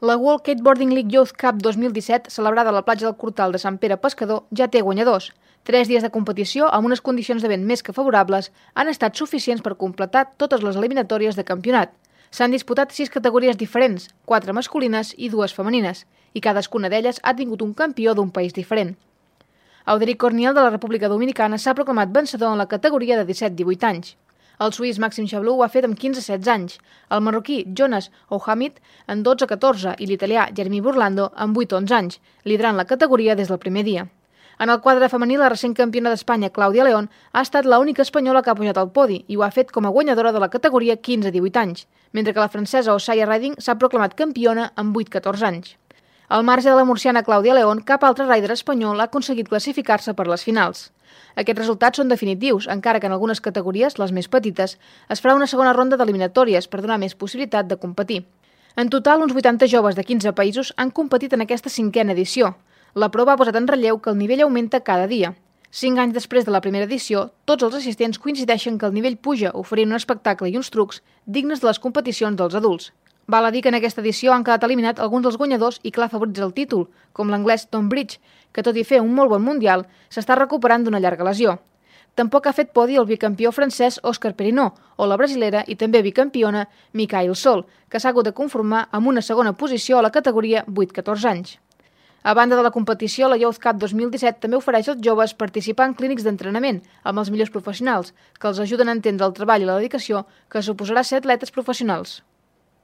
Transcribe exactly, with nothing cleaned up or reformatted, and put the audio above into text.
La World Skateboarding League Youth Cup dos mil disset, celebrada a la platja del Cortal de Sant Pere Pescador, ja té guanyadors. Tres dies de competició amb unes condicions de vent més que favorables han estat suficients per completar totes les eliminatòries de campionat. S'han disputat sis categories diferents, quatre masculines i dues femenines, i cadascuna d'elles ha tingut un campió d'un país diferent. Auderic Corniel de la República Dominicana s'ha proclamat vencedor en la categoria de disset a divuit anys. El suís Maxim Chablou ho ha fet amb quinze a setze anys, el marroquí Jonas Ouhamid en dotze a catorze i l'italià Jeremy Burlando en vuit a onze anys, liderant la categoria des del primer dia. En el quadre femení, la recent campiona d'Espanya, Clàudia León, ha estat l'única espanyola que ha pujat al podi i ho ha fet com a guanyadora de la categoria quinze a divuit anys, mentre que la francesa Osaya Riding s'ha proclamat campiona amb vuit a catorze anys. Al marge de la murciana Clàudia León, cap altre rider espanyol ha aconseguit classificar-se per les finals. Aquests resultats són definitius, encara que en algunes categories, les més petites, es farà una segona ronda d'eliminatòries per donar més possibilitat de competir. En total, uns vuitanta joves de quinze països han competit en aquesta cinquena edició. La prova ha posat en relleu que el nivell augmenta cada dia. Cinc anys després de la primera edició, tots els assistents coincideixen que el nivell puja, oferint un espectacle i uns trucs dignes de les competicions dels adults. Val a dir que en aquesta edició han quedat eliminats alguns dels guanyadors i clar favorits al títol, com l'anglès Tom Bridge, que tot i fer un molt bon mundial, s'està recuperant d'una llarga lesió. Tampoc ha fet podi el bicampió francès Òscar Perinaud o la brasilera i també bicampiona Michael Sol, que s'ha hagut de conformar amb una segona posició a la categoria vuit a catorze anys. A banda de la competició, la Youth Cup dos mil disset també ofereix als joves participar en clínics d'entrenament amb els millors professionals, que els ajuden a entendre el treball i la dedicació que suposarà ser atletes professionals.